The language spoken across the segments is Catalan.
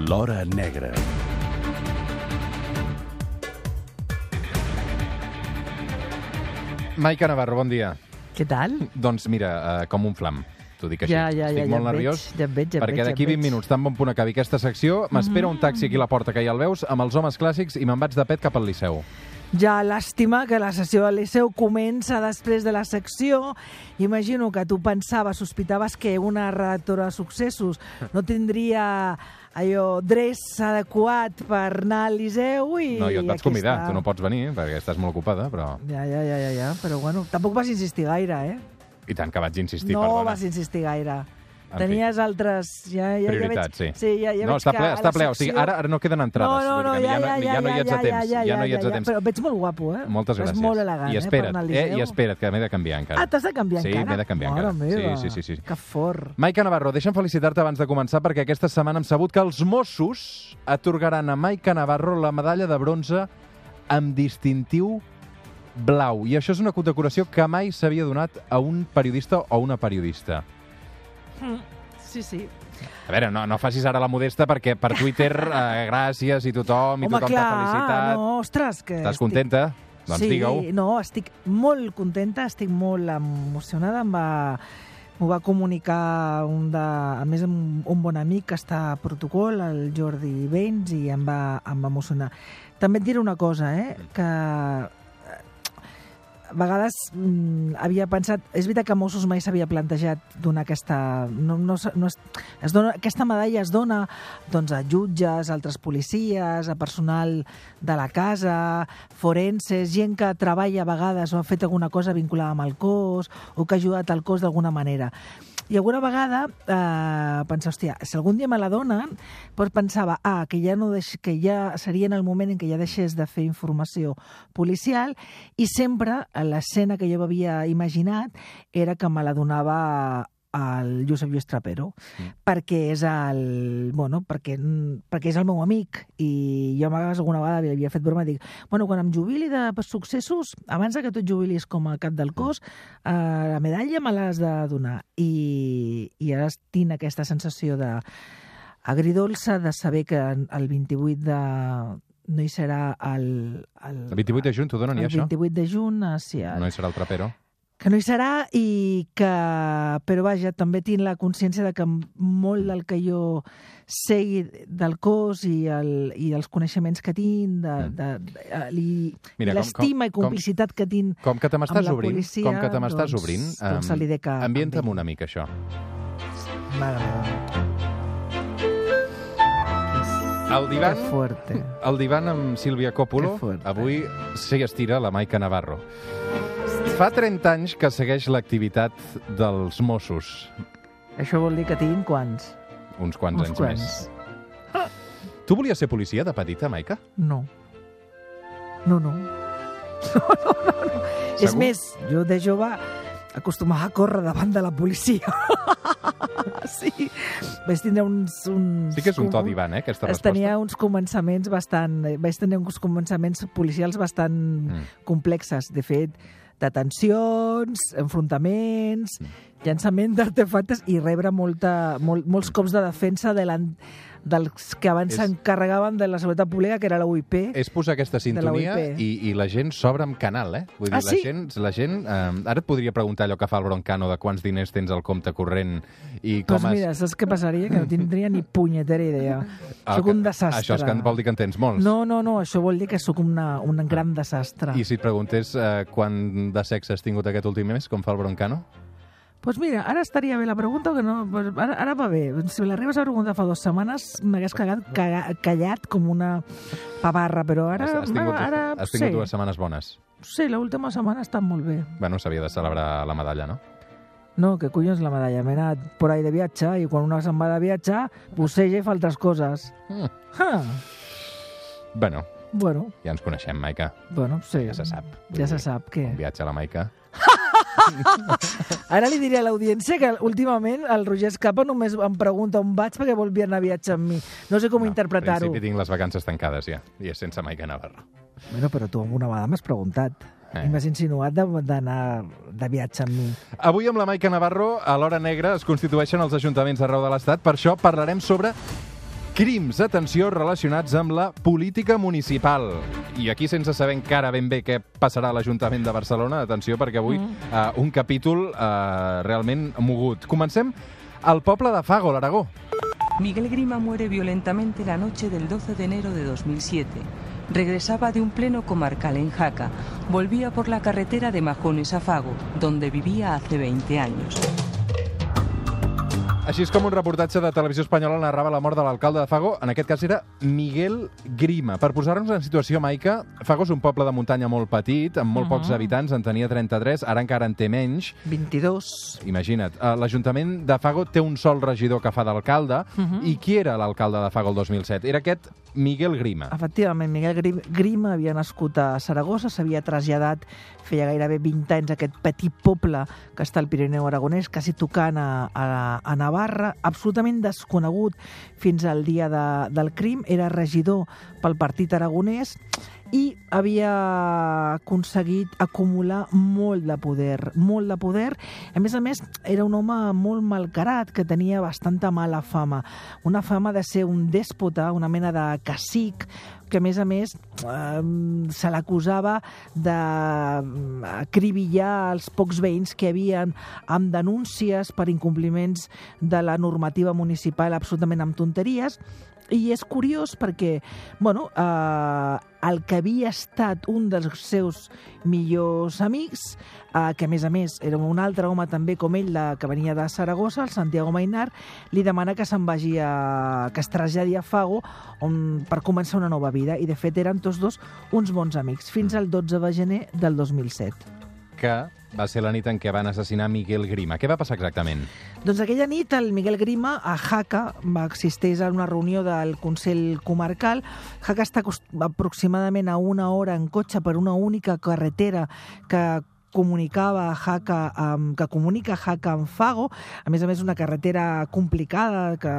L'Hora Negra. Maica Navarro, bon dia. Què tal? Doncs mira, com un flam. T'ho dic així. Estic molt nerviós perquè d'aquí 20 minuts, tan bon punt acabi aquesta secció, m'espera un taxi aquí a la porta, que ja el veus, amb els homes clàssics i me'n vaig de pet cap al Liceu. Ja, làstima que la sessió del Liceu comença després de la secció. Imagino que tu pensaves, sospitaves que una redactora de successos no tindria allò dress adequat per anar al Liceu i... No, jo et vaig convidar, tu no pots venir perquè estàs molt ocupada, però... Ja, però bueno, tampoc vas insistir gaire, eh? I tant que vaig insistir, no perdona. No vas insistir gaire. En tenies altres... Prioritats, ja veig, sí. Ja no, està ple, o sigui, ara no queden entrades. No, ja no hi ets a temps. Ja no hi ets a temps. Però veig molt guapo, eh? Moltes gràcies. És molt elegant, per anar al Liceu. I espera't, que m'he de canviar encara. Ah, t'has de canviar encara? Sí, m'he de canviar encara. Meva, sí. Que fort. Maica Navarro, deixa'm felicitar-te abans de començar perquè aquesta setmana hem sabut que els Mossos atorgaran a Maica Navarro la medalla de bronze amb distintiu blau. I això és una condecoració que mai s'havia donat a un periodista o una periodista. Sí. A veure, no facis ara la modesta perquè per Twitter gràcies i tothom t'ha felicitat. No, ostres, que... Estàs contenta? Doncs digue-ho. Sí, no, estic molt contenta, estic molt emocionada. M'ho va comunicar a més un bon amic que està a protocol, el Jordi Baines, i em va emocionar. També et diré una cosa, que a vegades havia pensat... És veritat que Mossos mai s'havia plantejat donar aquesta... Aquesta medalla es dona doncs, a jutges, a altres policies, a personal de la casa, forenses, gent que treballa a vegades o ha fet alguna cosa vinculada amb el cos o que ha ajudat al cos d'alguna manera. I alguna vegada pensava, hòstia, si algun dia me la donen, doncs pensava, que ja seria en el moment en què ja deixés de fer informació policial, i sempre l'escena que jo havia imaginat era que me la donava el Josep Lluís Trapero, perquè és perquè és el meu amic, i jo alguna vegada havia fet broma i dic, quan em jubili de successos, abans que tu et jubilis com a cap del cos, la medalla me l'has de donar. I ara tinc aquesta sensació agridolça de saber que el 28 de... no hi serà el 28 de juny t'ho donen, ja, això? El 28 de juny, sí. No hi serà el Trapero? Que no hi serà però vaja, també tinc la consciència de que molt del que jo sé del cos i els coneixements que tinc, i l'estima i complicitat que tinc com que te m'estàs obrint, policia, com que te m'estàs obrint, ambienta'm una mica això. El divan amb Sílvia Coppolo avui s'hi estira la Maica Navarro. Fa 30 anys que segueix l'activitat dels Mossos. Això vol dir que tinc quants? Uns quants anys més. Tu volies ser policia de petita, Maica? No. És més, jo de jove acostumava a córrer davant de la policia. Sí. Vaig tindre Sí que és un to divan, aquesta resposta. Vaig tenir uns començaments policials bastant complexes. De fet, detencions, enfrontaments, llançament d'artefactes i rebre molts cops de defensa dels que abans s'encarregaven de la seguretat pública, que era la UIP. És posar aquesta sintonia i la gent s'obre amb canal, Vull dir, la gent... Ara et podria preguntar allò que fa el Broncano de quants diners tens al compte corrent i com Doncs mira, saps què passaria? Que no tindria ni punyetera idea. Soc un desastre. Això vol dir que en tens molts? No, això vol dir que sóc un gran desastre. I si et preguntés quant de sexe has tingut aquest últim mes, com fa el Broncano? Doncs mira, ara estaria bé la pregunta, que no, ara va bé. Si me l'arribes a preguntar fa 2 setmanes, m'hagués callat com una pavarra, però ara... Has tingut 2 setmanes bones? Sí, l'última setmana ha estat molt bé. Bueno, s'havia de celebrar la medalla, no? No, que collons la medalla? M'he anat por ahí de viatge, i quan una se'n va de viatge, busseja i fa altres coses. Bueno, ja ens coneixem, Maica. Bueno, sí. Ja se sap. Ja se sap, què? Un viatge a la Maica. Ara li diré a l'audiència que últimament el Roger Escapa només em pregunta on vaig perquè vol anar a viatge amb mi. No sé com interpretar-ho. En principi tinc les vacances tancades ja, i és sense Maica Navarro. Bueno, però tu alguna vegada m'has preguntat. I m'has insinuat d'anar de viatge amb mi. Avui amb la Maica Navarro, a l'Hora Negra, es constitueixen els ajuntaments arreu de l'Estat. Per això parlarem sobre Crims, atenció, relacionats amb la política municipal. I aquí, sense saber encara ben bé què passarà a l'Ajuntament de Barcelona, atenció, perquè avui un capítol realment mogut. Comencem al poble de Fago, l'Aragó. Miguel Grima muere violentamente la noche del 12 de enero de 2007. Regresaba de un pleno comarcal en Jaca. Volvía por la carretera de Majones a Fago, donde vivía hace 20 años. Així és com un reportatge de Televisió Espanyola narrava la mort de l'alcalde de Fago. En aquest cas era Miguel Grima. Per posar-nos en situació, Maica, Fago és un poble de muntanya molt petit, amb molt pocs habitants, en tenia 33, ara encara en té menys. 22. Imagina't. L'Ajuntament de Fago té un sol regidor que fa d'alcalde. I qui era l'alcalde de Fago el 2007? Era aquest Miguel Grima. Efectivament, Miguel Grima havia nascut a Saragossa, s'havia traslladat feia gairebé 20 anys a aquest petit poble que està al Pirineu aragonès, quasi tocant a Navarra, absolutament desconegut fins al dia del crim. Era regidor pel Partit Aragonès i havia aconseguit acumular molt de poder, molt de poder. A més, era un home molt malcarat, que tenia bastanta mala fama. Una fama de ser un dèspota, una mena de cacic, que a més se l'acusava d'acribillar els pocs veïns que hi havia amb denúncies per incompliments de la normativa municipal absolutament amb tonteries. I és curiós perquè, el que havia estat un dels seus millors amics, que a més era un altre home també com ell, que venia de Saragossa, el Santiago Mainar, li demana que se'n vagi que es traslladi a Fago per començar una nova vida. I de fet eren tots dos uns bons amics, fins al 12 de gener del 2007. Que va ser la nit en què van assassinar Miguel Grima. Què va passar exactament? Doncs aquella nit el Miguel Grima a Jaca assisteix a una reunió del Consell Comarcal. Jaca està aproximadament a 1 hora en cotxe per una única carretera que comunica Jaca amb Fago. A més, una carretera complicada que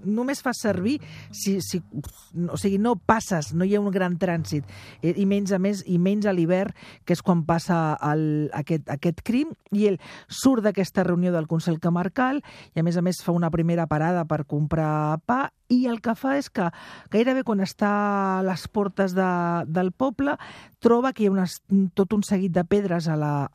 només fa servir no passes, no hi ha un gran trànsit, i menys a l'hivern, que és quan passa aquest crim. I ell surt d'aquesta reunió del Consell Comarcal i a més fa una primera parada per comprar pa, i el que fa és que gairebé quan està a les portes del poble troba que hi ha tot un seguit de pedres a la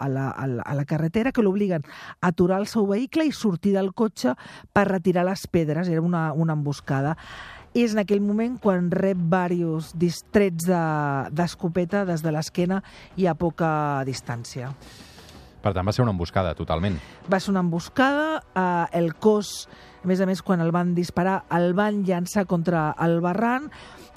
carretera que l'obliguen a aturar el seu vehicle i sortir del cotxe per retirar les pedres. Era una emboscada. És en aquell moment quan rep diversos trets d'escopeta des de l'esquena i a poca distància. Per tant, va ser una emboscada, totalment. Va ser una emboscada. El cos, a més, quan el van disparar, el van llançar contra el barranc.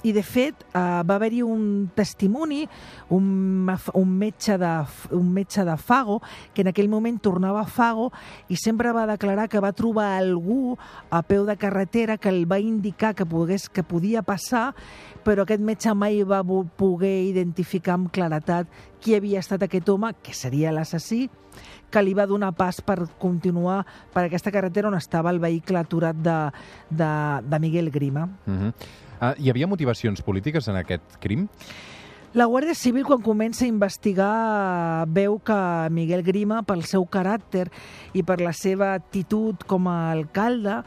I, de fet, va haver-hi un testimoni, un metge de Fago, que en aquell moment tornava a Fago i sempre va declarar que va trobar algú a peu de carretera que el va indicar que podia passar, però aquest metge mai va poder identificar amb claretat qui havia estat aquest home, que seria l'assassí, que li va donar pas per continuar per aquesta carretera on estava el vehicle aturat de Miguel Grima. Hi havia motivacions polítiques en aquest crim? La Guàrdia Civil, quan comença a investigar, veu que Miguel Grima, pel seu caràcter i per la seva actitud com a alcalde,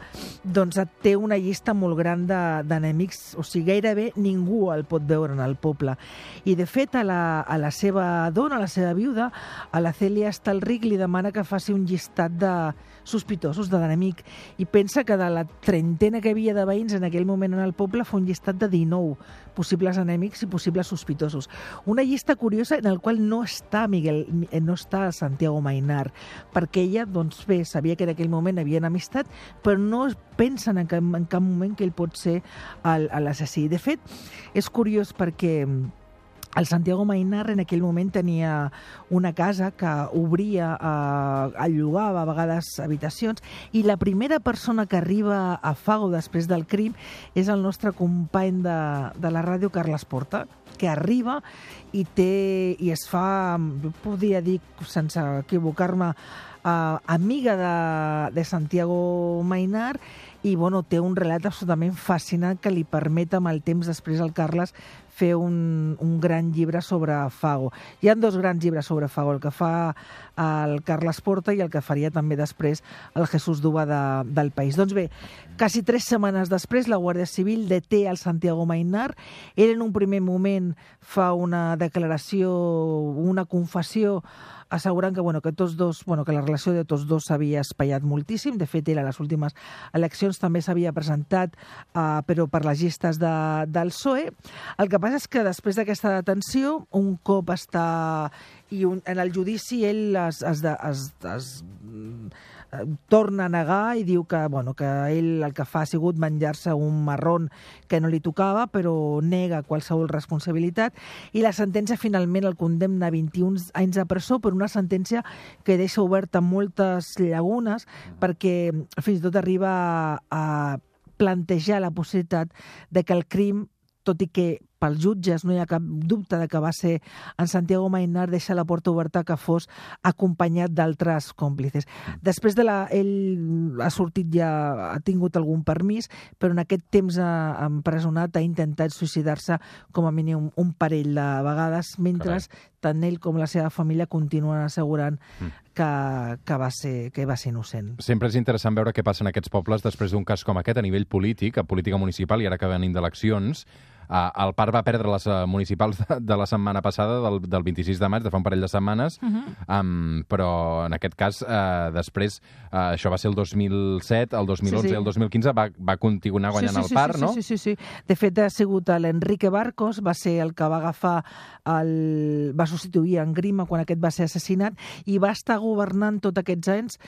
doncs té una llista molt gran d'enemics. O sigui, gairebé ningú el pot veure en el poble. I, de fet, a la seva dona, a la seva viuda, a la Cèlia Estalric, li demana que faci un llistat de sospitosos, d'enemic. I pensa que de la trentena que havia de veïns en aquell moment en el poble, fa un llistat de 19 possibles enemics i possibles sospitosos. Una llista curiosa en la qual no està Santiago Mainar, perquè ella, sabia que en aquell moment havien amistat, però no pensen en cap moment que ell pot ser l'assassí. De fet, és curiós perquè el Santiago Mainar en aquell moment tenia una casa que obria, allogava a vegades habitacions, i la primera persona que arriba a Fago després del crim és el nostre company de la ràdio, Carles Porta, que arriba i es fa, podria dir, sense equivocar-me, amiga de Santiago Mainar, i té un relat absolutament fascinant que li permet amb el temps després al Carles fer un gran llibre sobre Fago. Hi ha 2 grans llibres sobre Fago, el que fa el Carles Porta i el que faria també després el Jesús Duba del País. Doncs bé, quasi 3 setmanes després, la Guàrdia Civil deté el Santiago Maynard. Ell en un primer moment fa una declaració, una confessió, assegurant que, que la relació de tots dos s'havia espaiat moltíssim. De fet, ell a les últimes eleccions també s'havia presentat, però per les llistes del PSOE. El que passa és que després d'aquesta detenció, un cop està... en el judici ell es torna a negar i diu que ell el que fa ha sigut menjar-se un marrón que no li tocava, però nega qualsevol responsabilitat, i la sentència finalment el condemna a 21 anys de presó, per una sentència que deixa oberta moltes llagunes, perquè fins i tot arriba a plantejar la possibilitat de que el crim, tot i que pels jutges no hi ha cap dubte de que va ser en Santiago Maynard, deixa la porta oberta que fos acompanyat d'altres còmplices. Després ell ha sortit ja, ha tingut algun permís, però en aquest temps empresonat ha intentat suïcidar-se com a mínim un parell de vegades, mentre tant ell com la seva família continuen assegurant que va ser innocent. Sempre és interessant veure què passa en aquests pobles després d'un cas com aquest a nivell polític, a política municipal, i ara que venim d'eleccions. El Parc va perdre les municipals de la setmana passada, del 26 de maig, de fa un parell de setmanes, però en aquest cas, després, això va ser el 2007, el 2011 i el 2015, va continuar guanyant el Parc, no? Sí. De fet, ha sigut l'Enrique Barcos, va ser el que va agafar, va substituir en Grima quan aquest va ser assassinat, i va estar governant tots aquests anys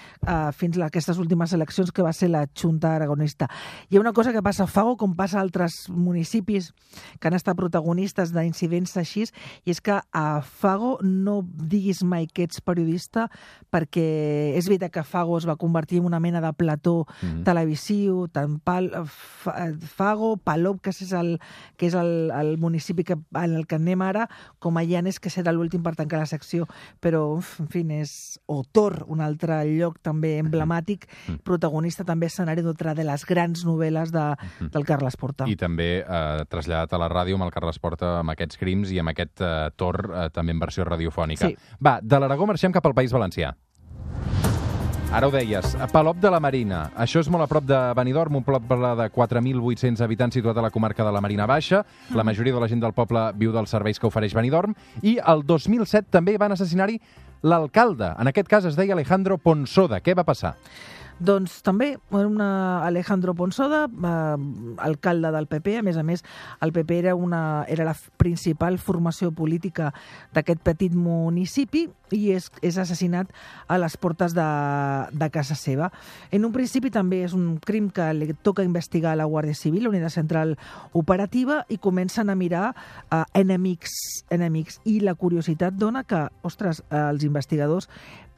fins a aquestes últimes eleccions, que va ser la Junta Aragonista. Hi ha una cosa que passa a Fago, com passa a altres municipis que han estat protagonistes d'incidents així, i és que a Fago no diguis mai que ets periodista, perquè és veritat que Fago es va convertir en una mena de plató televisiu, tant Fago, Palop, que és el municipi en el que anem ara, com a Llanes, que serà l'últim per tancar la secció, però, en fi, és Tor, un altre lloc també emblemàtic, protagonista també escenari d'altra de les grans novel·les del Carles Porta. I també traslladat a la ràdio amb el Carles Porta, amb aquests crims i amb aquest Tor també en versió radiofònica. Sí. Va, de l'Aragó marxem cap al País Valencià. Ara ho deies, Palop de la Marina. Això és molt a prop de Benidorm, un poble de 4.800 habitants situat a la comarca de la Marina Baixa. La majoria de la gent del poble viu dels serveis que ofereix Benidorm. I el 2007 també van assassinar-hi l'alcalde. En aquest cas es deia Alejandro Ponsoda. Què va passar? Doncs també Alejandro Ponsoda, alcalde del PP. A més, el PP era la principal formació política d'aquest petit municipi, i és assassinat a les portes de casa seva. En un principi també és un crim que li toca investigar a la Guàrdia Civil, la Unitat Central Operativa, i comencen a mirar enemics. I la curiositat dona que, els investigadors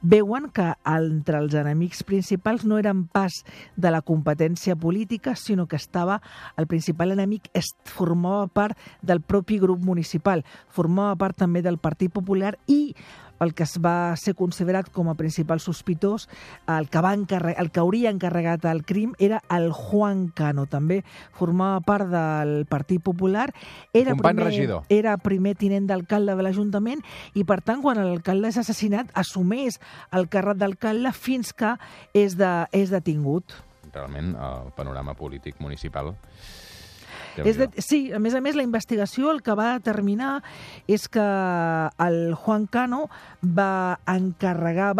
veuen que entre els enemics principals no eren pas de la competència política, sinó que el principal enemic formava part del propi grup municipal, formava part també del Partit Popular, i el que es va ser considerat com a principal sospitós, el que hauria encarregat el crim, era el Juan Cano. També formava part del Partit Popular. Era primer tinent d'alcalde de l'Ajuntament, i per tant, quan l'alcalde és assassinat, assumeix el càrrec d'alcalde fins que és detingut. Realment, el panorama polític municipal... Sí, a més, la investigació el que va determinar és que el Juan Cano va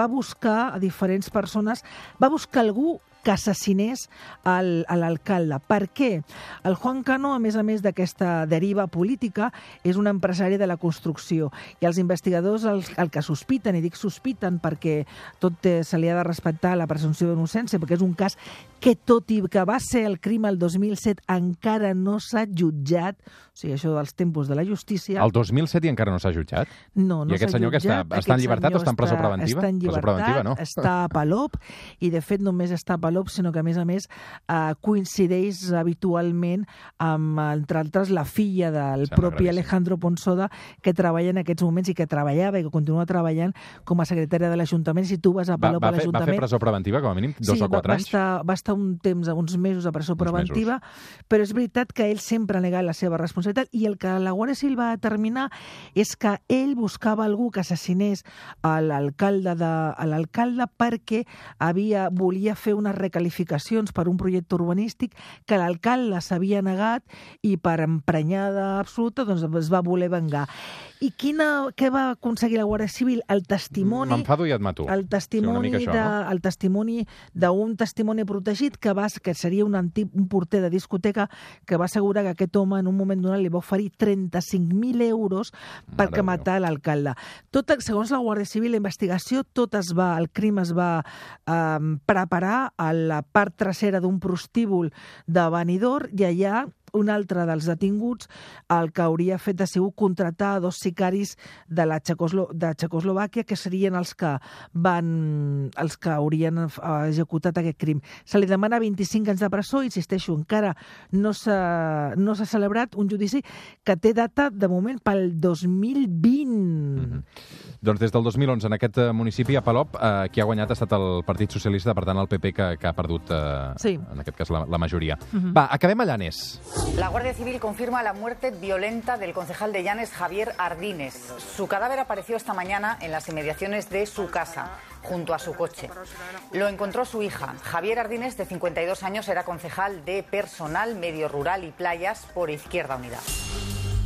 buscar a diferents persones, va buscar algú que assassinés a l'alcalde. Per què? El Juan Cano, a més d'aquesta deriva política, és un empresari de la construcció, i els investigadors el que sospiten, i dic sospiten perquè tot se li ha de respectar la presumpció d'innocència, perquè és un cas que, tot i que va ser el crim el 2007, encara no s'ha jutjat. O sigui, això dels tempos de la justícia... El 2007 i encara no s'ha jutjat? No s'ha jutjat. I aquest senyor que està en llibertat o està en presó preventiva? Està en llibertat, no? està a Palop, i de fet només està a Palop, sinó que, a més, coincideix habitualment amb, entre altres, la filla del propi Alejandro Ponsoda, que treballa en aquests moments i que treballava i que continua treballant com a secretària de l'Ajuntament. Si tu vas a Palop a l'Ajuntament... Va fer presó preventiva, com a mínim, 2 o 4 anys? Sí, va estar un temps, uns mesos a presó preventiva, però és veritat que ell sempre ha negat la seva responsabilitat, i el que la Guàrdia Civil va determinar és que ell buscava algú que assassinés a l'alcalde perquè volia fer unes recalificacions per un projecte urbanístic que l'alcalde s'havia negat, i per emprenyada absoluta doncs es va voler vengar. I què va aconseguir la Guàrdia Civil? El testimoni... M'enfado i et mato. El testimoni d'un testimoni protegit que seria un porter de discoteca, que va assegurar que aquest home en un moment donat li va oferir 35.000 euros perquè matar l'alcalde. Segons la Guàrdia Civil, la investigació, el crim es va preparar a la part trasera d'un prostíbul de Benidorm, i allà un altre dels detinguts el que hauria fet ha sigut contractar 2 sicaris de Txecoslovàquia, que serien els que haurien executat aquest crim. Se li demana 25 anys de presó, insisteixo, encara no s'ha celebrat un judici que té data, de moment, pel 2020. Doncs des del 2011, en aquest municipi, a Palop, qui ha guanyat ha estat el Partit Socialista, per tant, el PP, que ha perdut, en aquest cas, la majoria. Va, acabem a Llanes. La Guardia Civil confirma la muerte violenta del concejal de Llanes, Javier Ardínez. Su cadáver apareció esta mañana en las inmediaciones de su casa, junto a su coche. Lo encontró su hija. Javier Ardínez, de 52 años, era concejal de Personal, Medio Rural y Playas por Izquierda Unida.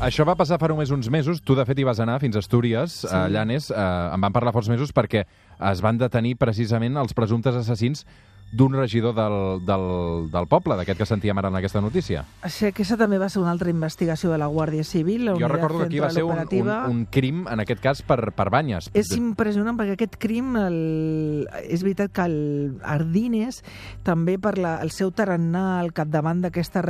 Això va passar fa només uns mesos. Tu, de fet, hi vas anar fins a Astúries, a Llanes. En van parlar forts mesos perquè es van detenir precisament els presumptes assassins d'un regidor del poble, d'aquest que sentíem ara en aquesta notícia. Sí, aquesta també va ser una altra investigació de la Guàrdia Civil. Jo recordo que aquí va ser un crim, en aquest cas, per banyes. És impressionant, perquè aquest crim, és veritat que Ardínez, també per el seu tarannà al capdavant d'aquesta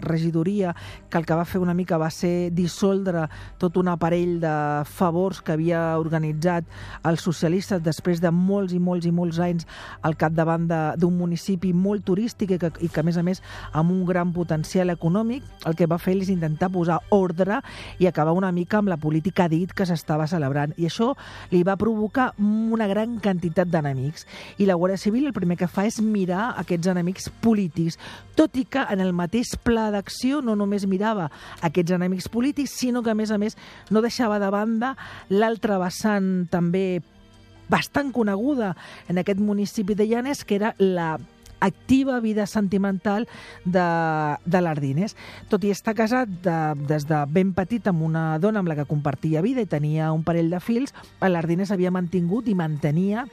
regidoria, que el que va fer una mica va ser dissoldre tot un aparell de favors que havia organitzat els socialistes després de molts i molts i molts anys al capdavant d'un municipi molt turístic i que, a més, amb un gran potencial econòmic. El que va fer és intentar posar ordre i acabar una mica amb la política dit que s'estava celebrant. I això li va provocar una gran quantitat d'enemics. I la Guàrdia Civil el primer que fa és mirar aquests enemics polítics, tot i que en el mateix pla d'acció no només mirava aquests enemics polítics, sinó que, a més, no deixava de banda l'altre vessant també bastant coneguda en aquest municipi de Llanes, que era la activa vida sentimental de l'Ardínez. Tot i estar casat des de ben petit amb una dona amb la que compartia vida i tenia un parell de fills, l'Ardínez havia mantingut i mantenia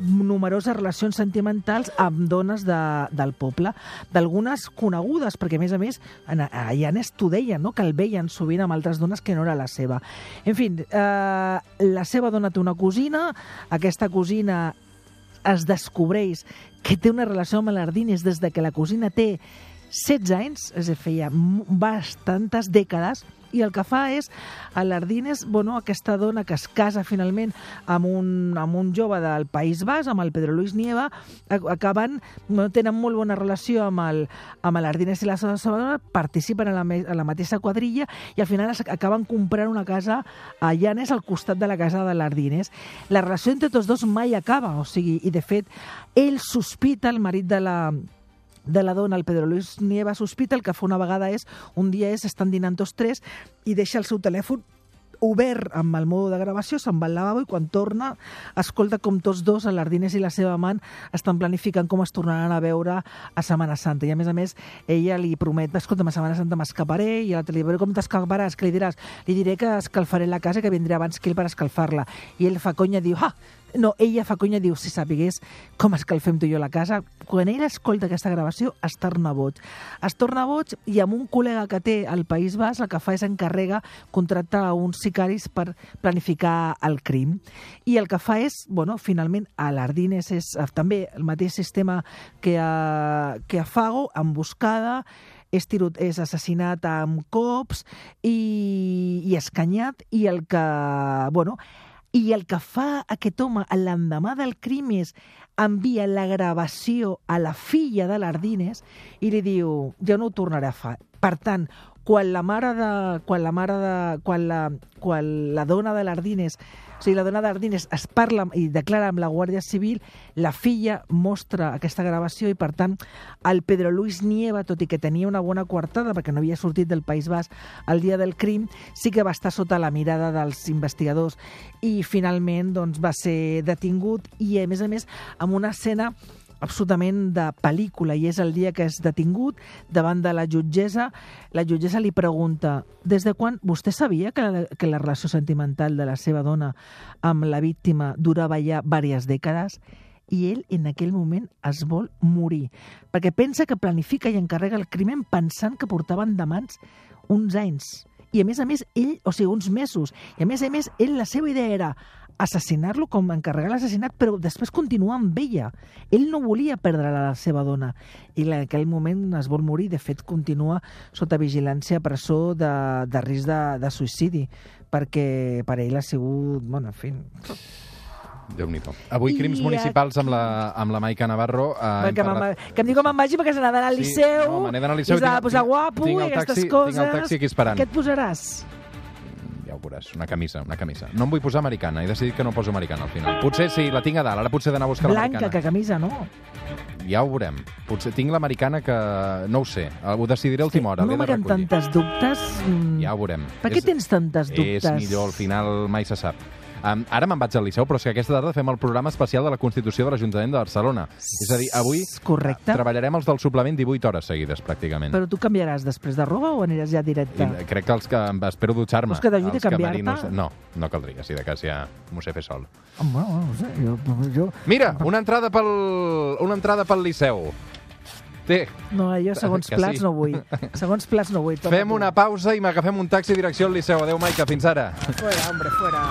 numeroses relacions sentimentals amb dones del poble, d'algunes conegudes, perquè a més a Llanes t'ho deien, no? Que el veien sovint amb altres dones que no era la seva. En fi, la seva dona té una cosina, aquesta cosina es descobreix que té una relació amb l'Ardínez des de que la cosina té 16 anys, és a dir, feia bastantes dècades, i el que fa és a l'Ardínez, aquesta dona que es casa finalment amb un jove del País Basc, amb el Pedro Luis Nieva, tenen molt bona relació amb l'Ardínez i la seva dona, participen a la mateixa quadrilla i al final acaben comprant una casa a Llanes al costat de la casa de l'Ardínez. La relació entre tots dos mai acaba, i de fet ell sospita, el marit de la dona, el Pedro Luis Nieva sospita, el que fa una vegada estan dinant tots tres i deixa el seu telèfon obert amb el mode de gravació, se'n va al lavabo i quan torna escolta com tots dos, l'Ardínez i la seva amant, estan planificant com es tornaran a veure a Setmana Santa. I a més, ella li promet, escolta'm, a Setmana Santa m'escaparé, i l'altre li dirà, com t'escaparàs? Què li diràs? Li diré que escalfaré la casa, que vindré abans que ell per escalfar-la. I ell fa conya, diu, ella fa conya, diu, si sapigués com escalfem tu i jo la casa. Quan ell escolta aquesta gravació, es torna boig. Es torna boig i amb un col·lega que té al País Basc, el que fa és encarrega contractar uns sicaris per planificar el crim. I el que fa és, finalment, a l'Ardínez és també el mateix sistema que a Fago, emboscada, és assassinat amb cops i escanyat, i el que, I el que fa aquest home l'endemà del crim és envia la gravació a la filla de l'Ardines i li diu, jo no ho tornaré a fer. Per tant, quan la dona de l'Ardines, o sigui, la dona d'Ardines es parla i declara amb la Guàrdia Civil, la filla mostra aquesta gravació i, per tant, el Pedro Luis Nieva, tot i que tenia una bona coartada perquè no havia sortit del País Basc el dia del crim, sí que va estar sota la mirada dels investigadors i finalment doncs, va ser detingut i, a més, amb una escena absolutament de pel·lícula, i és el dia que és detingut davant de la jutgessa. La jutgessa li pregunta, des de quan vostè sabia que la relació sentimental de la seva dona amb la víctima durava ja diverses dècades? I ell en aquell moment es vol morir, perquè pensa que planifica i encarrega el crimen pensant que portaven de mans uns anys. I a més, ell, o sigui, uns mesos. I a més, ell, la seva idea era assassinar-lo, com encarregar l'assassinat, però després continuar amb ella. Ell no volia perdre la seva dona. I en aquell moment es vol morir. De fet, continua sota vigilància a presó de risc de suïcidi, perquè per ell ha sigut... Bueno, en fi... Déu-n'hi-do. Avui crims municipals amb la Maica Navarro. Que em diu que me'n vagi perquè se n'ha d'anar al Liceu. No, me n'he d'anar al Liceu. I s'ha de posar guapo i aquestes coses. Tinc el taxi aquí esperant. Què et posaràs? Ja ho veuràs, una camisa. No em vull posar americana, he decidit que no poso americana al final. Potser sí, la tinc a dalt, ara potser he d'anar a buscar l'americana. Blanca, que camisa, no? Ja ho veurem. Potser tinc l'americana que... No ho sé, ho decidiré a última hora. No m'haguem tantes dubtes. Ja ho veurem. Per què tens tantes dubtes? És millor, al final mai se sap. Ara me'n vaig al Liceu, però és que aquesta tarda fem el programa especial de la Constitució de l'Ajuntament de Barcelona. És a dir, avui treballarem els del suplement 18 hores seguides, pràcticament. Però tu canviaràs després de roba o aniràs ja directe? Crec que els que espero dutxar-me. Vols que t'ajudi a canviar-te? No caldria, si de cas ja m'ho sé fer sol. Bueno, no sé, jo... Mira, una entrada pel Liceu. No, jo segons plats no vull. Segons plats no vull. Fem una pausa i m'agafem un taxi direcció al Liceu. Adéu, Maica, fins ara. Fuera, hombre, fuera.